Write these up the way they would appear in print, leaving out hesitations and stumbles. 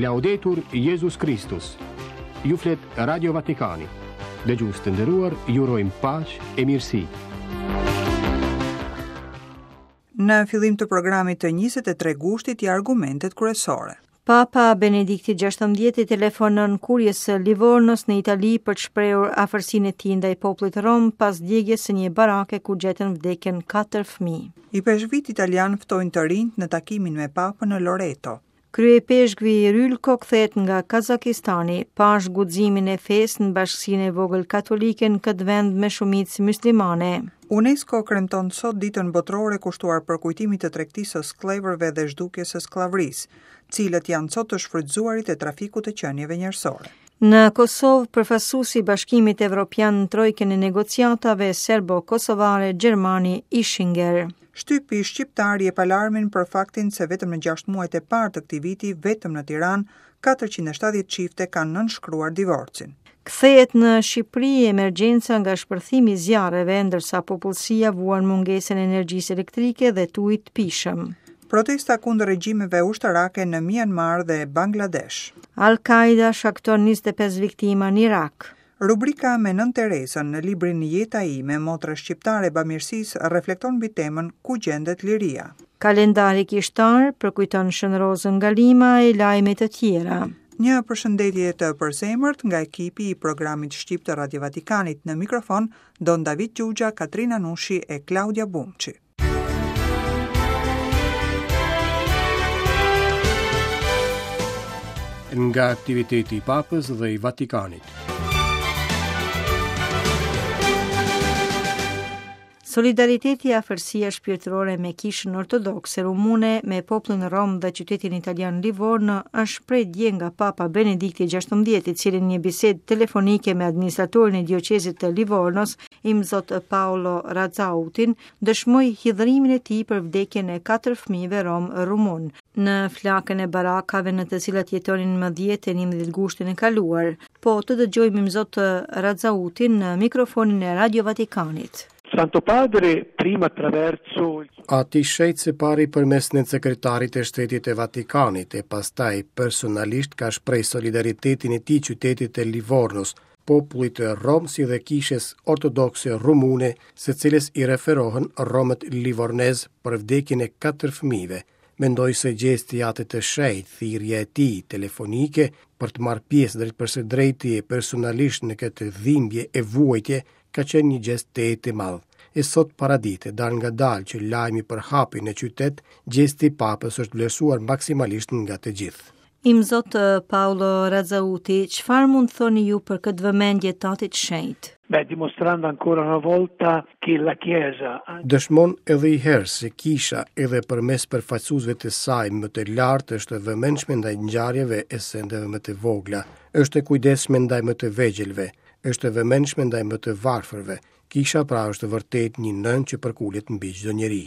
Laudetur Jezus Kristus. Ju flet Radio Vatikani. Dëgjues të nderuar, ju urojmë paqe e mirësi. Në fillim të programit të 23 gushtit ja argumentet kryesore. Papa Benedikti XVI i telefonon Kuries së Livornos në Itali për të shprehur afërsinë e tij ndaj popullit rom pas djegies së një barake ku gjetën vdekjen katër fëmijë. Ipeshkvijtë italianë ftojnë të rinjtë në takimin me Papën në Loreto. Kryeipeshkvi Rylko kthehet nga Kazakistani, pashë guximin e fesë në bashkësinë e vogël katolike në këtë vend me shumicë myslimane. UNESCO kremton sot Ditën Botërore kushtuar përkujtimit të tregtisë së skllevërve dhe zhdukjes së skllavërisë. Cilët janë sot të shfrytëzuarit e trafikut të qenieve njerëzore? Në Kosovë, përfaqësuesi i Bashkimit Evropian në trojkën e negociatave serbo-kosovare gjermani Ischinger. Shtypi shqiptar jep alarmin për faktin se vetëm në 6 muajt e parë të këtij viti, vetëm në Tiranë, 470 çifte kanë nënshkruar divorcin. Kthehet në Shqipëri emergjenca nga shpërthimi i zjarreve, ndërsa popullsia vuan mungesën e energjisë elektrike dhe të ujit të pijshëm. Protesta kundër regjimeve ushtarake në Myanmar dhe Bangladesh. Al-Qaida shkakton 25 viktima në Irak. Rubrika me Nënë Terezën në librin Jeta ime, motra shqiptare e bamirësisë reflekton mbi temën Ku gjendet liria. Kalendari kishtar përkujton Shën Rozën nga Lima e lajme të tjera. Një përshëndetje të përzemërt nga ekipi i programit shqip të Radio Vatikanit në mikrofon Don David Xhuxha, Katrina Nushi e Klaudia Bumçi. Nga aktiviteti i Papës dhe i Vatikanit. Solidariteti e afërsia shpirtërore me Kishën Ortodokse Rumune, me popullin rom dhe qytetin italian Livorno është shprehur dje nga Papa Benedikti XVI, i cili në një bisedë telefonike me administratorin e dioqezit të Livornos, Imzot Paolo Razzautin, dëshmoi hidhërimin e tij për vdekjen e katër fëmijëve romë rumunë, në flakën e barakave në të cilat jetonin më 10 e 11 gushtin e kaluar. Po të dëgjojmë Imzot Razzautin në mikrofonin e Radio Vatikanit. Santo Padre prima attraverso Ati i Shenjtë së pari përmes nënsekretarit të Shtetit të Vatikanit e pastaj personalisht ka shpreh solidaritetin e tij qytetit të Livornos, popullit rom si dhe kishës ortodokse rumune, së cilës i referohen romët livornezë për vdekjen e katër fëmijëve. Mendoj se gjesti i Atit të Shenjtë, thirrja e tij telefonike për të marrë pjesë drejtpërsëdrejti e personalisht në këtë dhimbje e vuajtje, ka qenë një gjest tejet i madh. E sot paradite, dalëngadalë që lajmi përhapej në qytet, gjesti i Papës është vlerësuar maksimalisht nga të gjithë. Imzot Paolo Razzauti, çfarë mund të thoni ju për këtë vëmendje të Atit të Shenjtë? Beh, dimostrando ancora una volta che la Chiesa Dëshmon edhe një herë se Kisha edhe përmes përfaqësuesve të saj më të lartë është e vëmendshme ndaj ngjarjeve e sendeve më të vogla, është e kujdesshme ndaj më të vegjëlve, është e vëmendshme ndaj më të varfërve, Kisha pra është vërtet një nënë që përkulet mbi çdo njeri.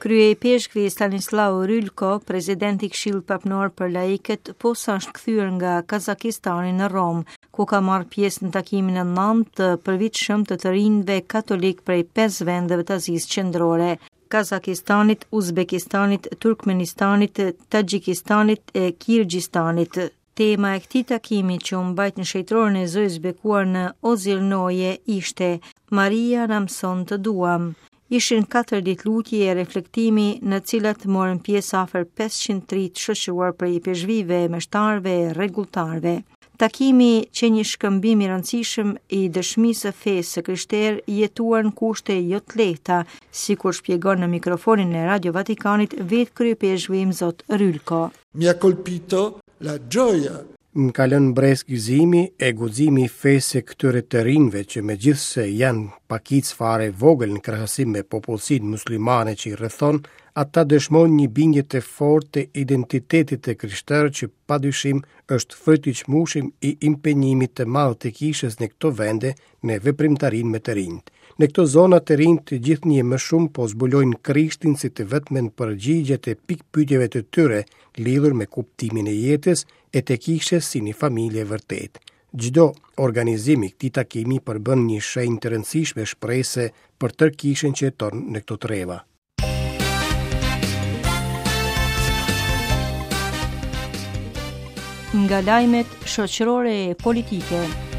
Kryeipeshkvi Stanislav Rylko, president i Këshillit Papnor për Laikët, posa është kthyer nga Kazakistani në Romë, ku ka marrë pjesë në takimin e nëntë të përvitshëm të të rinjve katolikë prej pesë vendeve të Azisë Qendrore, Kazakistanit, Uzbekistanit, Turkmenistanit, Taxhikistanit e Kirgistanit. Tema e këtij takimi që u mbajt në shenjtëroren e Zojës së Bekuar në Ozirnoje ishte Maria na mëson të duam. Ishin 4 ditë lutje e reflektimi në të cilat morën pjesë afër 500 të rinj të shoqëruar prej ipeshkvijve, meshtarëve e rregulltarëve. Takimi qe një shkëmbim i rëndësishëm i dëshmisë së fesë së krishterë jetuar në kushte jo të lehta, sikur shpjegon në mikrofonin e Radio Vatikanit vetë kryeipeshkvi Imzot Rylko. Mi ha colpito la gioia. Më ka lënë mbresë gëzimi e guximi i fesë së këtyre të rinjve që megjithëse janë pakicë fare e vogël në krahasim me popullsinë muslimane që i rrethon, ata dëshmojnë një bindje të fortë të identitetit të krishterë që padyshim është fryt i çmueshëm i impenjimit të madh të kishës në këto vende në veprimtarinë me të rinjtë. Në këto zona të rinjtë gjithnjë e më shumë po zbulojnë Krishtin si të vetmen përgjigje të pikëpyetjeve të tyre lidhur me kuptimin e jetës e të kishës si një familje e vërtetë. Çdo organizim i këtij takimi përbën një shenjë të rëndësishme shprese për tërë kishën që jeton në këto treva. Nga lajmet shoqërore e politike.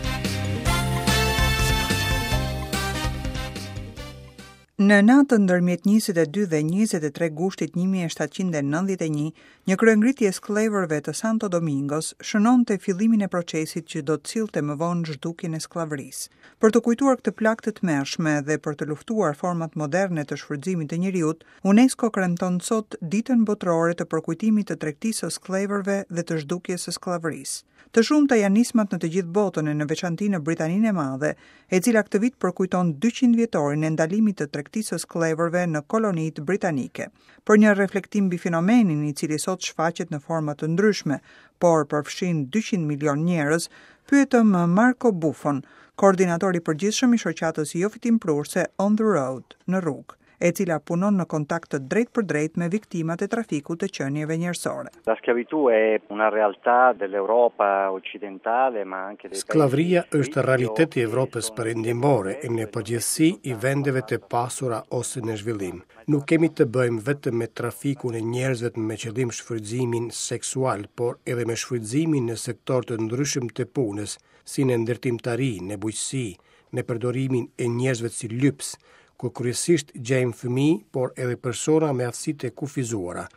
Në natën ndërmjet 22 dhe 23 gushtit 1791, një kryengritje e skllevërve të Santo Domingos shënonte fillimin e procesit që do të sillte më vonë zhdukjen e skllavërisë. Për të kujtuar këtë plagë të tmerrshme dhe për të luftuar format moderne të shfrytëzimit të njeriut, UNESCO kremton sot Ditën Botërore të Përkujtimit të Tregtisë së Skllevërve dhe të Zhdukjes së Skllavërisë. Të shumta janë nismat në të gjithë botën e në veçanti në Britaninë e Madhe, e cila këtë vit përkujton 200 vjetorin e ndalimit të tregtisë së skllevërve në kolonitë britanike. Për një reflektim mbi fenomenin, i cili sot shfaqet në forma të ndryshme, por përfshin 200 milionë njerëz, pyetëm Marco Buffon, koordinator i përgjithshëm i shoqatës jofitimprurëse On the Road, në rrugë. e cila punon në kontakt të drejtpërdrejtë me viktimat e trafikut të qenieve njerëzore. La schiavitù è una realtà dell'Europa occidentale, ma anche dei Skllavëria është realitet i Evropës Perëndimore e në përgjithësi i vendeve të pasura ose në zhvillim. Nuk kemi të bëjmë vetëm me trafikun e njerëzve me qëllim shfrytëzimin seksual, por edhe me shfrytëzimin në sektorë të ndryshëm të punës, si në ndërtimtari, në bujqësi, në përdorimin e njerëzve si lypës, ku kryesisht gjejmë fëmijë, por edhe persona me aftësi të kufizuara.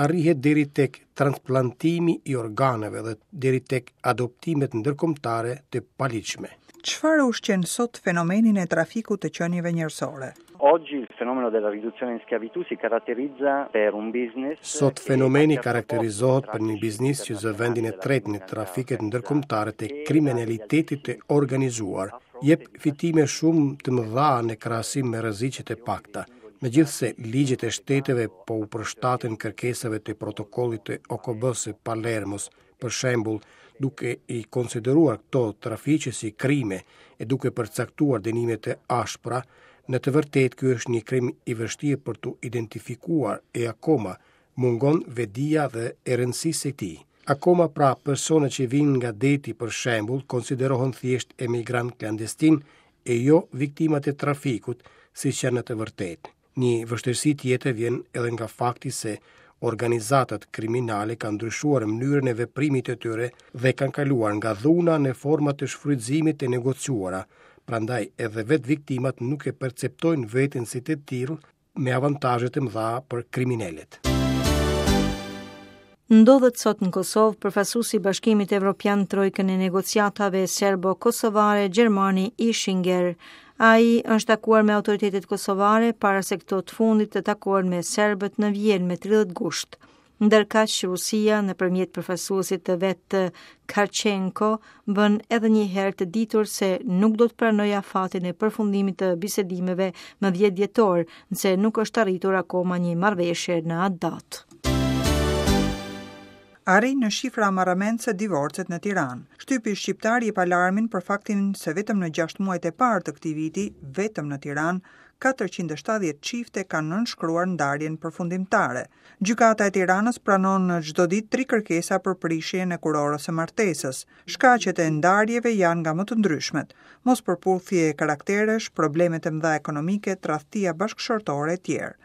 Arrihet deri tek transplantimi i organeve dhe deri tek adoptimet ndërkombëtare të paligjshme. Çfarë ushqen sot fenomenin e trafikut të qenieve njerëzore? Oggi il fenomeno della riduzione in schiavitù si caratterizza per un business Sot fenomeni karakterizohet për një biznis që zë vendin e tretë në trafiket ndërkombëtare të kriminalitetit të organizuar. Jep fitime shumë të mëdha në krahasim me rreziqet e pakta. Megjithëse ligjet e shteteve po u përshtaten kërkesave të protokollit të OKB-së Palermos, për shembull, duke i konsideruar këto trafiqe si krime e duke përcaktuar dënime të ashpra, në të vërtetë ky është një krim i vështirë për t'u identifikuar e akoma mungon vetëdija dhe e rëndësisë së tij. Akoma pra persona që vijnë nga deti për shembull konsiderohen thjesht emigrantë klandestinë e jo viktimat e trafikut, siç janë në të vërtetë. Një vështirësi tjetër vjen edhe nga fakti se organizatat kriminale kanë ndryshuar mënyrën e veprimit të tyre dhe kanë kaluar nga dhuna në forma të shfrytëzimit të negociuara, prandaj edhe vetë viktimat nuk e perceptojnë veten si të tillë me avantazhe të mëdha për kriminelët. Ndodhet sot në Kosovë përfaqësuesi i Bashkimit Evropian në trojkën e negociatave serbo-kosovare gjermani Ischinger. Ai është takuar me autoritetet kosovare para se këto të fundit të takohen me serbët në Vjenë me 30 gusht. Ndërkaq Rusia nëpërmjet përfaqësuesit të vet Kharchenko bën edhe një herë të ditur se nuk do të pranojë afatin e përfundimit të bisedimeve më 10 dhjetor, nëse nuk është arritur akoma një marrëveshje në atë datë. Arrijnë në shifra marramendëse divorcet në Tiranë. Shtypi shqiptar jep alarmin për faktin se vetëm në 6 muajt e parë të këtij viti, vetëm në Tiranë, 470 çifte kanë nënshkruar ndarjen përfundimtare. Gjykata e Tiranës pranon çdo ditë tri kërkesa për prishjen e kurorës së martesës. Shkaqet e ndarjeve janë nga më të ndryshmet, mospërputhje karakteresh, probleme të mëdha ekonomike, tradhtia bashkëshortore etj.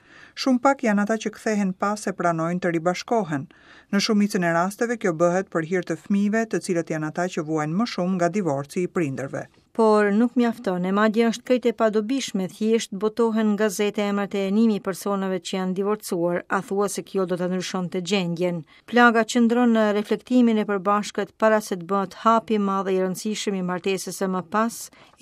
Shumë pak janë ata që kthehen pas e pranojnë të ribashkohen. Në shumicën e rasteve kjo bëhet për hir të fëmijëve, të cilët janë ata që vuajnë më shumë nga divorci i prindërve. Por nuk mjafton, e madje është krejt e padobishme, thjesht botohen në gazete emrat e njëmijë personave që janë divorcuar, a thua se kjo do ta ndryshonte gjendjen. Plaga qëndron në reflektimin e përbashkët para se të bëhet hapi i madh e i rëndësishëm i martesës e më pas,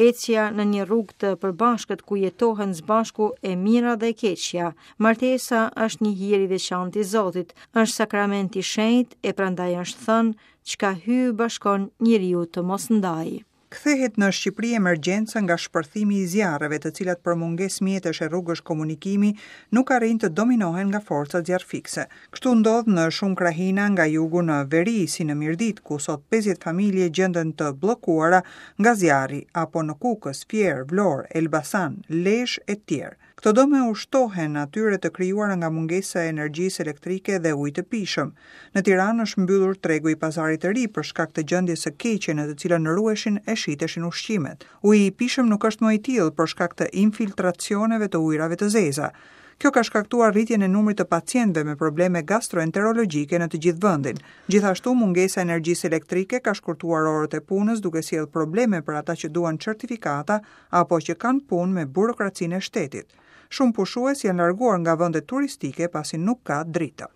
ecja në një rrugë të përbashkët ku jetohen së bashku e mira dhe e keqja. Martesa është një hir i veçantë i Zotit, është sakrament i shenjtë e prandaj është thënë, çka Hyji bashkon njeriu të mos ndajë. Kthehet në Shqipëri emergjenca nga shpërthimi i zjarreve, të cilat për mungesë mjetesh e rrugësh komunikimi nuk arrijnë të dominohen nga forcat zjarrfikëse. Kështu ndodh në shumë krahina nga jugu në veri, si në Mirditë, ku sot 50 familje gjenden të bllokuara nga zjarri, apo në Kukës, Fier, Vlorë, Elbasan, Lezhë e tjerë. Këto dëme u shtohen atyre të krijuara nga mungesa e energjisë elektrike dhe ujit të pijshëm. Në Tiranë është mbyllur tregu i Pazarit të Ri për shkak të gjendjes së keqe në të cilën ruheshin e shiteshin ushqimet. Uji i pijshëm nuk është më i tillë për shkak të infiltracioneve të ujërave të zeza. Kjo ka shkaktuar rritjen e numrit të pacientëve me probleme gastroenterologjike në të gjithë vendin. Gjithashtu, mungesa e energjisë elektrike ka shkurtuar orët e punës duke sjellë probleme për ata që duan certifikata apo që kanë punë me burokracinë e shtetit. Shumë pushues janë larguar nga vendet turistike pasi nuk ka drita.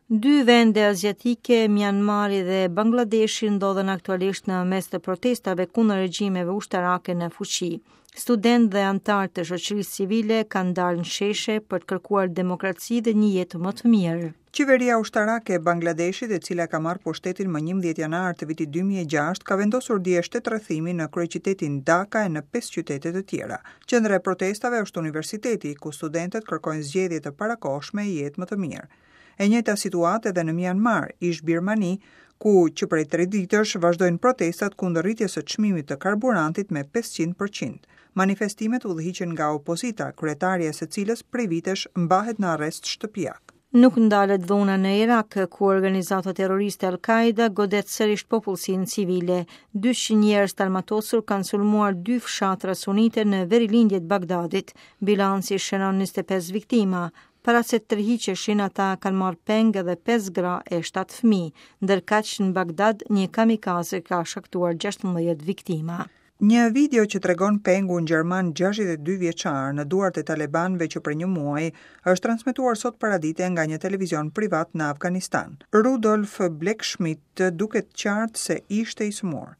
Dy vende aziatike, Myanmari dhe Bangladeshi ndodhen aktualisht në mes të protestave kundër regjimeve ushtarake në fuqi. Studentë dhe anëtarë të shoqërisë civile kanë dalë në sheshe për të kërkuar demokraci dhe një jetë më të mirë. Qeveria ushtarake e Bangladeshit, e cila ka marrë pushtetin më 11 janar të vitit 2006, ka vendosur dje shtetrrethimin në kryeqytetin Dhaka e në pesë qytete të tjera. Qendra e protestave është universiteti, ku studentët kërkojnë zgjedhje të parakohshme e jetë më të mirë. E njëjta situatë edhe në Mianmar, ish-Birmani, ku që prej tre ditësh vazhdojnë protestat kundër rritjes së çmimit të karburantit me 500 për qind. Manifestimet udhëhiqen nga opozita, kryetarja e së cilës prej vitesh mbahet në arrest shtëpiak. Nuk ndalet dhuna në Irak, ku organizata terroriste Al-Qaeda godet sërish popullsinë civile. 200 njerëz të armatosur kanë sulmuar dy fshatra sunite në verilindje të Bagdadit. Bilanci shënon 25 viktima. Para se të tërhiqeshin, ata kanë marrë peng edhe 5 gra e 7 fëmijë. Ndërkaq në Bagdad, një kamikaze ka shkaktuar 16 viktima. Një video që tregon pengun gjerman 62 vjeçar në duart e talebanëve që prej një muaji është transmetuar sot paradite nga një televizion privat në Afganistan. Rudolf Bleckschmidt duket qartë se ishte i sëmurë.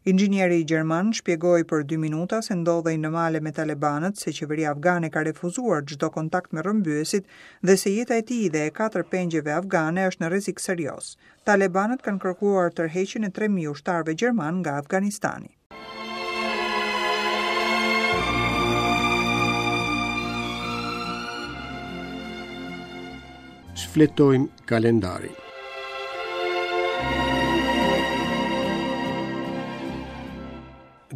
Inxhinieri gjerman shpjegoi për dy minuta se ndodhej në male me talebanët, se qeveria afgane ka refuzuar çdo kontakt me rrëmbyesit dhe se jeta e tij dhe e katër pengjeve afgane është në rrezik serioz. Talebanët kanë kërkuar tërheqjen e 3000 ushtarëve gjermanë nga Afganistani. Shfletojmë kalendarin.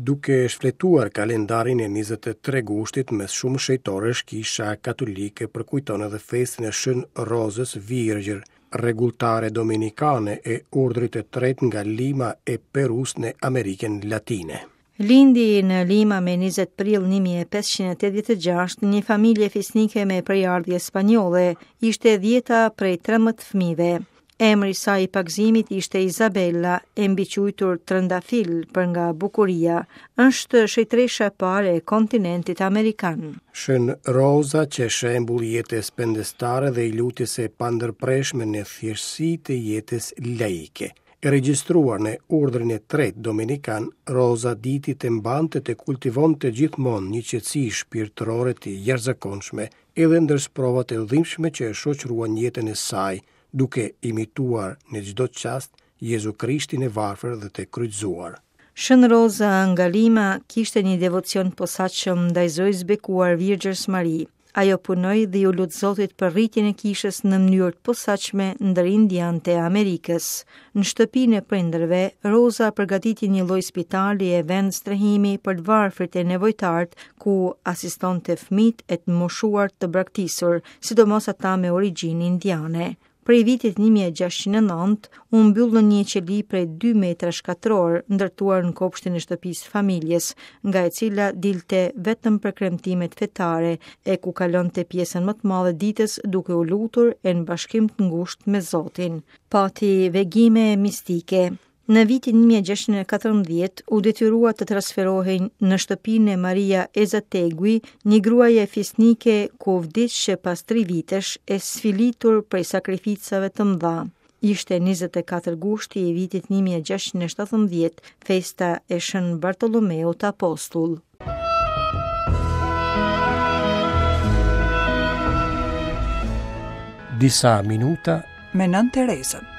Duke shfletuar kalendarin e 23 gushtit mes shumë shenjtorësh, Kisha Katolike përkujton edhe festën e Shën Rozës Virgjër, rregulltare domenikane e urdhrit të tretë nga Lima e Perusë në Amerikën Latine. Lindi në Lima me 20 prill 1586 në një familje fisnike me prejardhje spanjolle, ishte e dhjeta prej 13 fëmijëve. Emri i saj i pagëzimit ishte Izabella, e mbiquajtur Trëndafil për nga bukuria. Është shenjtëresha e parë e kontinentit amerikan. Shën Roza qe shembull i jetës pendestare dhe i lutjes së pandërprershme në thjeshtësi të jetës laike. E regjistruar në urdhrin e tretë domenikan, Roza diti të mbante të kultivonte gjithmonë një qetësi shpirtërore të jashtëzakonshme edhe ndër sprovat e dhimbshme që e shoqëruan jetën e saj, duke imituar në çdo çast Jezu Krishtin e varfër dhe të kryqëzuar. Shën Roza nga Lima kishte një devocion të posaçëm ndaj Zojës së Bekuar Virgjërs Mari. Ajo punoi dhe iu lut Zotit për rritjen e kishës në mënyrë të posaçme ndër indianët e Amerikës. Në shtëpinë e prindërve, Roza përgatiti një lloj spitali e vend strehimi për të varfrit e nevojtarët, ku asistonte fëmijët e të moshuar të braktisur, sidomos ata me origjinë indiane. Prej vitit 1609, u mbyll në një qeli prej 2 metrash katrorë, ndërtuar në kopshtin e shtëpisë së familjes, nga e cila dilte vetëm për kremtimet fetare e ku kalonte pjesën më të madhe ditës duke u lutur e në bashkim të ngushtë me Zotin. Pati vegime mistike. Në vitin 1614 u detyrua të transferohej në shtëpinë e Maria Ezategui, një gruaje fisnike ku vdiq pas tri vitesh e sfilitur prej sakrificave të mëdha. Ishte 24 gushti i vitit 1617, festa e Shën Bartolomeut Apostull. Disa minuta me Nënë Terezën.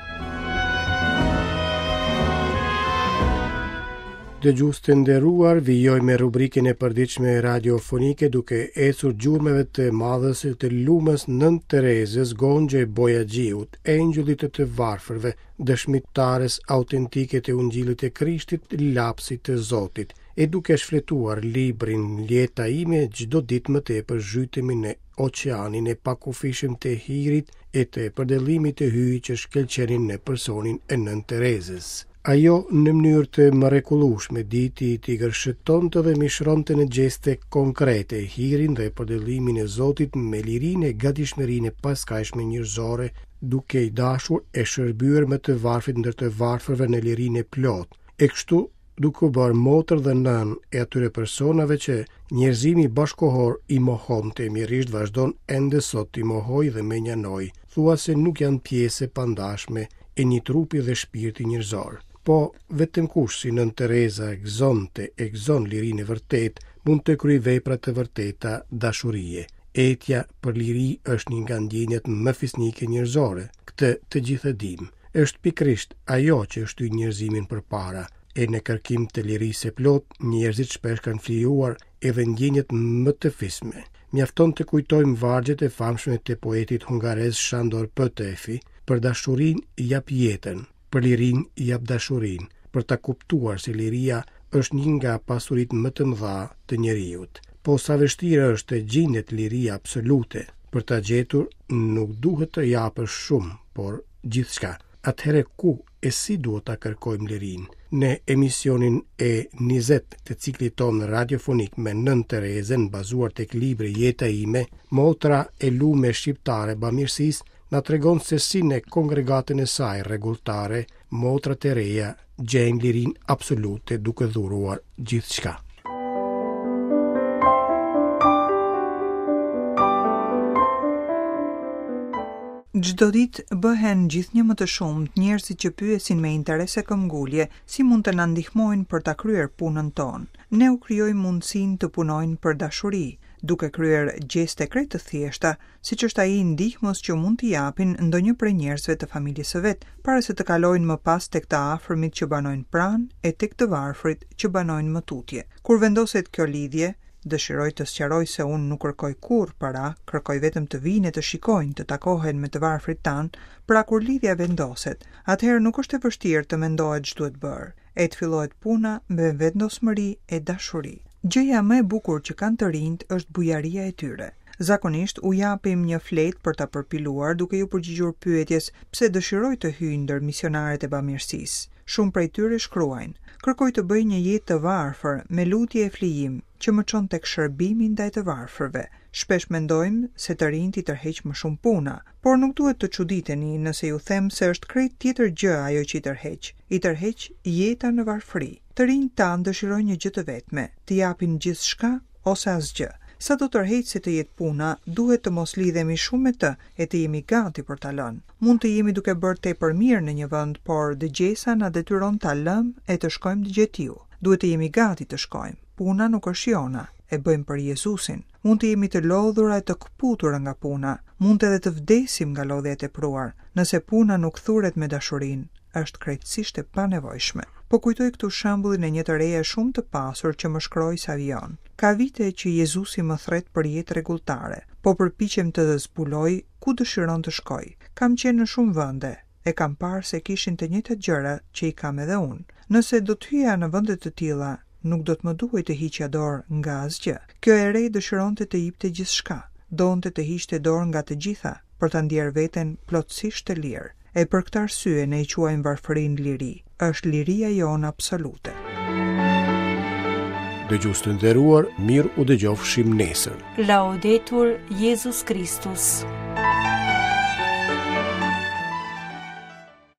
Dëgjues të nderuar, vijojmë me rubrikën e përditshme radiofonike duke ecur gjurmëve të madhes të lumës Nënë Terezës, Gonxhe Bojaxhiut, engjëllit të të varfërve, dëshmitares autentike të Ungjillit të Krishtit, lapsit të Zotit. E duke shfletuar librin Jeta ime, çdo ditë më tepër zhytemi në oqeanin e pakufishëm të hirit e të përdëllimit të hyjit që shkëlqenin në personin e Nënë Terezës. Ajo në mënyrë të mrekullueshme diti t'i gërshetonte dhe mishëronte në gjeste konkrete hirin dhe përdëllimin e Zotit me lirinë e gatishmërinë e paskajshme njerëzore, duke i dashur e shërbyer më të varfrit ndër të varfërve në lirinë e plotë, e kështu duke u bërë motër dhe nënë e atyre personave që njerëzimi bashkëkohor i mohonte e mjerisht vazhdon ende sot t'i mohojë dhe mënjanojë, thua se nuk janë pjesë e pandashme e një trupi dhe shpirti njerëzor. Po, vetëm kush si Nënë Tereza gëzonte e gëzon lirinë e vërtetë, mund të kryejë vepra të vërteta dashurie. Etja për liri është një nga ndjenjat më fisnike njerëzore, këtë të gjithë e dimë. Është pikërisht ajo që e shtyn njerëzimin përpara, e në kërkim të lirisë së plotë, njerëzit shpesh kanë flijuar edhe ndjenjat më të fisme. Mjafton të kujtojmë vargjet e famshme të poetit hungarez Shandor Petefi, për dashurinë jap jetën, për lirinë jap dashurinë, për ta kuptuar se liria është një nga pasuritë më të mëdha të njeriut. Po sa vështirë është të gjendet liria absolute, për ta gjetur nuk duhet të japësh shumë, por gjithçka. Atëherë ku e si duhet ta kërkojmë lirinë? Në emisionin e 20 të ciklit tonë radiofonik me Nënë Terezën, bazuar tek libri Jeta ime, motra e lume shqiptare e bamirësisë, na tregon se si në kongregatën e saj rregulltare, motrat e reja gjejnë lirinë absolute duke dhuruar gjithçka. Çdo ditë bëhen gjithnjë më të shumtë njerëzit që pyesin me interes e këmbgulje si mund të na ndihmojnë për ta kryer punën tonë. Ne u krijojmë mundësinë të punojnë për dashuri, duke kryer gjeste krejt të thjeshta, siç është ai i ndihmës që mund t'i japin ndonjë prej njerëzve të familjes së vet, para se të kalojnë më pas tek të afërmit që banojnë pranë e tek të varfrit që banojnë më tutje. Kur vendoset kjo lidhje, dëshiroj të sqaroj se unë nuk kërkoj kurrë para, kërkoj vetëm të vijnë e të shikojnë, të takohen me të varfrit tanë, pra kur lidhja vendoset, atëherë nuk është e vështirë të mendohet ç'duhet bërë, e të fillohet puna me vendosmëri e dashuri. Gjëja më e bukur që kanë të rinjtë është bujaria e tyre. Zakonisht u japim një fletë për ta përpiluar duke iu përgjigjur pyetjes pse dëshiroj të hyj ndër misionarët e bamirësisë. Shumë prej tyre shkruajnë, Kërkoj të bëj një jetë të varfër, me lutje e flijim, që më çon tek shërbimi ndaj të varfërve. Shpesh mendojmë se të rinjtë i tërheq më shumë puna, por nuk duhet të çuditeni nëse ju them se është krejt tjetër gjë ajo që i tërheq. I tërheq jeta në varfëri. Të rinjtë tanë dëshirojnë një gjë të vetme, të japin gjithçka ose asgjë. Sado tërheqëse të jetë puna, duhet të mos lidhemi shumë me të e të jemi gati për ta lënë. Mund të jemi duke bërë tepër mirë në një vend, por dëgjesa na detyron ta lëmë e të shkojmë gjetiu. Duhet të jemi gati të shkojmë. Puna nuk është jona, e bëjmë për Jezusin. Mund të jemi të lodhura e të këputura nga puna, mund edhe të vdesim nga lodhja e tepruar, nëse puna nuk thuret me dashurinë, është krejtësisht e panevojshme. Po kujtoj këtu shembullin e një të reje shumë të pasur që më shkroi sa vijon. Ka vite që Jezusi më thërret për jetë rregulltare. Po përpiqem të zbuloj ku dëshiron të shkoj. Kam qenë në shumë vende, e kam parë se kishin të njëjtat gjëra që i kam edhe unë. Nëse do të hyja në vende të tilla, nuk do të më duhej të hiqja dorë nga asgjë. Kjo e re dëshironte të jipte gjithçka, donte të hiqte dorë nga të gjitha, për ta ndjerë veten plotësisht të lirë. E për këtë arsye ne e quajmë varfërinë liri. Është liria jonë absolute. Dëgjues të nderuar, mirë u dëgjofshim nesër. Laudetur Jezus Kristus.